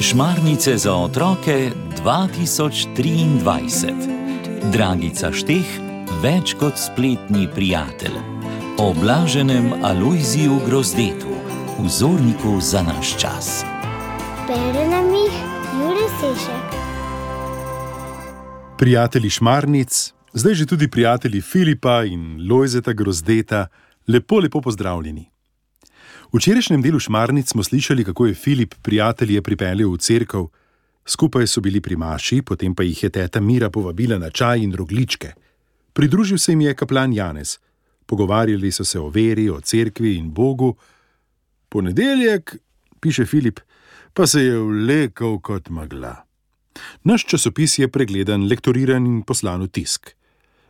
Šmarnice za otroke 2023. Dragica Šteh, več kot spletni prijatelj. O blaženem Alojziju Grozdetu, vzorniku za naš čas. Bere nam jih Jure Sešek. Prijatelji Šmarnic, zdaj že tudi prijatelji Filipa in Lojzeta Grozdeta, lepo pozdravljeni. V včerajšnjem delu Šmarnic smo slišali, kako je Filip prijatelje pripeljal v cerkev. Skupaj so bili pri maši, potem pa jih je teta Mira povabila na čaj in rogljičke. Pridružil se jim je kaplan Janez. Pogovarjali so se o veri, o cerkvi in Bogu. Ponedeljek, piše Filip, pa se je vlekel kot megla. Naš časopis je pregledan, lektoriran in poslan v tisk.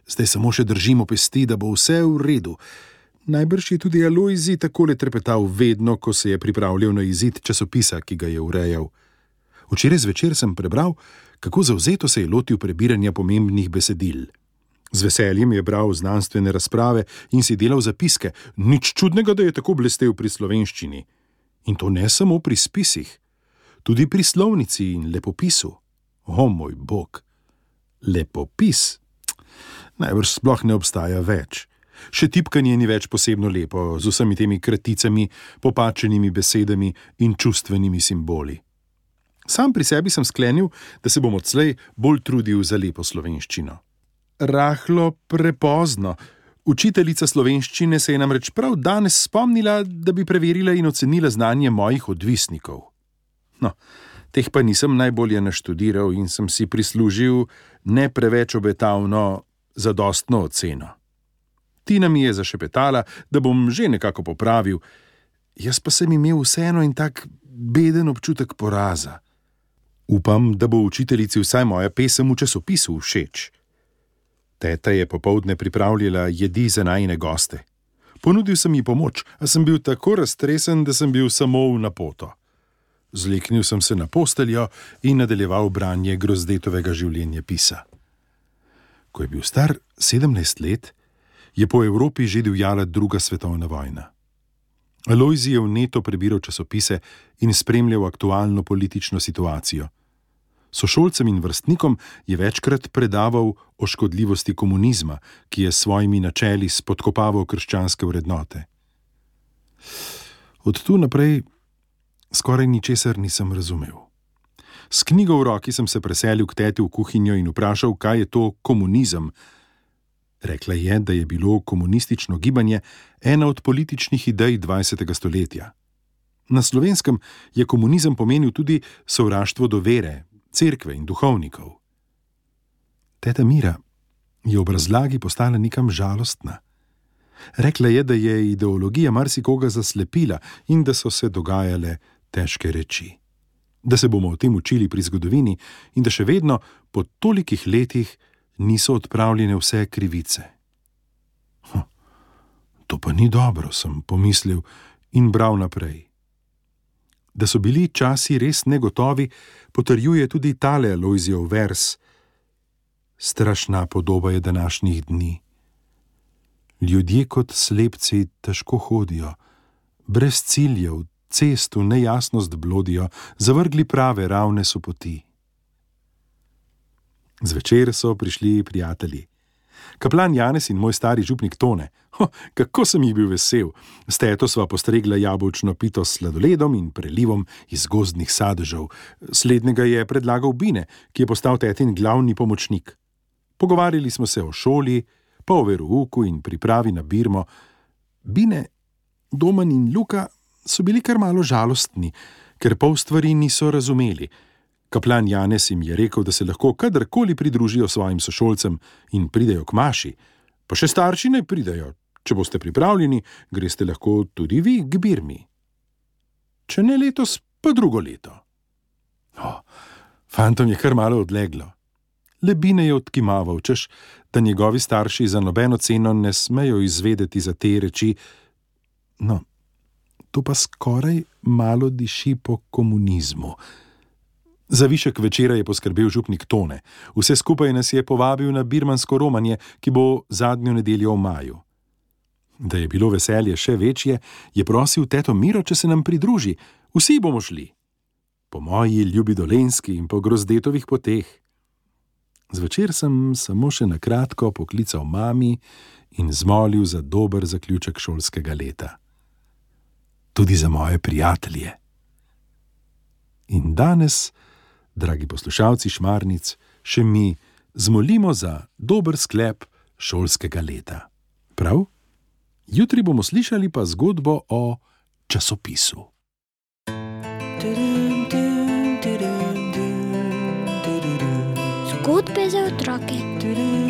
Zdaj samo še držimo pesti, da bo vse v redu. Najbrž je tudi Alojzij takole trepetal vedno, ko se je pripravljal na izid časopisa, ki ga je urejal. Včeraj zvečer sem prebral, kako zavzeto se je lotil prebiranja pomembnih besedil. Z veseljem je bral znanstvene razprave in si delal zapiske. Nič čudnega, da je tako blestel pri slovenščini. In to ne samo pri spisih, tudi pri slovnici in lepopisu. O moj bog, lepopis najbrž sploh ne obstaja več. Še tipkanje ni več posebno lepo, z vsemi temi kraticami, popačenimi besedami in čustvenimi simboli. Sam pri sebi sem sklenil, da se bom odslej bolj trudil za lepo slovenščino. Rahlo prepozno. Učiteljica slovenščine se je namreč prav danes spomnila, da bi preverila in ocenila znanje mojih odvisnikov. No, teh pa nisem najbolje naštudiral in sem si prislužil ne preveč obetavno zadostno oceno. Tina mi je zašepetala, da bom že nekako popravil, jaz pa sem imel vseeno in tak beden občutek poraza. Upam, da bo učiteljici vsaj moja pesem v časopisu všeč. Teta je popoldne pripravljala jedi za najine goste. Ponudil sem ji pomoč, a sem bil tako raztresen, da sem bil samo v napoto. Zleknil sem se na posteljo in nadaljeval branje Grozdetovega življenjepisa. Ko je bil star 17 let, je po Evropi že divjala druga svetovna vojna. Alojzij je vneto prebiral časopise in spremljal aktualno politično situacijo. Sošolcem in vrstnikom je večkrat predaval o škodljivosti komunizma, ki je s svojimi načeli spodkopaval krščanske vrednote. Od tu naprej skoraj ničesar nisem razumel. S knjigo v roki sem se preselil k teti v kuhinjo in vprašal, kaj je to komunizem. Rekla je, da je bilo komunistično gibanje ena od političnih idej 20. stoletja. Na Slovenskem je komunizem pomenil tudi sovraštvo do vere, cerkve in duhovnikov. Teta Mira je ob razlagi postala nekam žalostna. Rekla je, da je ideologija marsikoga zaslepila in da so se dogajale težke reči. Da se bomo o tem učili pri zgodovini in da še vedno po tolikih letih niso odpravljene vse krivice. To pa ni dobro, sem pomislil in bral naprej. Da so bili časi res negotovi, potrjuje tudi tale Alojzijev vers. Strašna podoba je današnjih dni. Ljudje kot slepci težko hodijo, brez ciljev, cest v nejasnost blodijo, zavrgli prave, ravne so poti. Zvečer so prišli prijatelji. Kaplan Janez in moj stari župnik Tone. Kako sem jih bil vesel. S teto sva postregla jabolčno pito s sladoledom in prelivom iz gozdnih sadežev. Slednjega je predlagal Bine, ki je postal tetin glavni pomočnik. Pogovarjali smo se o šoli, pa o verouku in pripravi na birmo. Bine, Domen in Luka so bili kar malo žalostni, ker pol stvari niso razumeli. Kaplan Janez jim je rekel, da se lahko kadarkoli pridružijo svojim sošolcem in pridejo k maši. Pa še starši naj pridejo. Če boste pripravljeni, greste lahko tudi vi k birmi. Če ne letos, pa drugo leto. Fantom je kar malo odleglo. Le Bine je odkimaval, češ, da njegovi starši za nobeno ceno ne smejo izvedeti za te reči. No, to pa skoraj malo diši po komunizmu. Za višek večera je poskrbel župnik Tone. Vse skupaj nas je povabil na birmansko romanje, ki bo zadnjo nedeljo v maju. Da je bilo veselje še večje, je prosil teto Miro, če se nam pridruži. Vsi bomo šli. Po moji ljubi Dolenjski in po Grozdetovih poteh. Zvečer sem samo še na kratko poklical mami in zmolil za dober zaključek šolskega leta. Tudi za moje prijatelje. In danes, dragi poslušalci Šmarnic, še mi zmolimo za dober sklep šolskega leta. Prav? Jutri bomo slišali pa zgodbo o časopisu. Zgodbe za otroke.